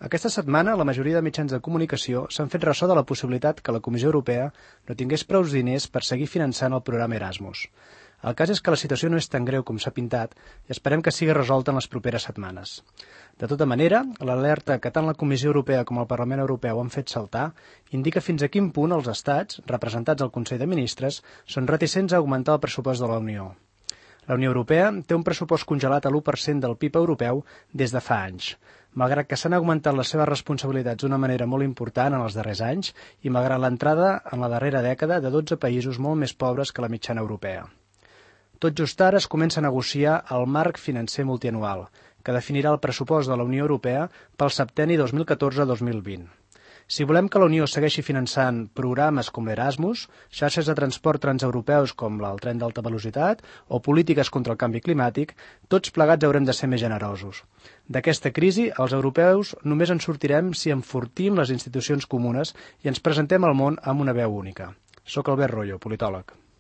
Aquesta setmana, la majoria de mitjans de comunicació s'han fet ressò de la possibilitat que la Comissió Europea no tingués prou diners per seguir finançant el programa Erasmus. El cas és que la situació no és tan greu com s'ha pintat i esperem que sigui resolta en les properes setmanes. De tota manera, l'alerta que tant la Comissió Europea com el Parlament Europeu han fet saltar indica fins a quin punt els estats, representats al Consell de Ministres, són reticents a augmentar el pressupost de la Unió. La Unió Europea té un pressupost congelat a l'1% del PIB europeu des de fa anys, malgrat que s'han augmentat les seves responsabilitats d'una manera molt important en els darrers anys i malgrat l'entrada en la darrera dècada de 12 països molt més pobres que la mitjana europea. Tot just ara es comença a negociar el marc financer multianual, que definirà el pressupost de la Unió Europea pel septenni 2014-2020. Si volem que la Unió segueixi finançant programes com l'Erasmus, xarxes de transport transeuropeus com el tren d'alta velocitat o polítiques contra el canvi climàtic, tots plegats haurem de ser més generosos. D'aquesta crisi, els europeus només en sortirem si enfortim les institucions comunes i ens presentem al món amb una veu única. Soc Albert Royo, politòleg.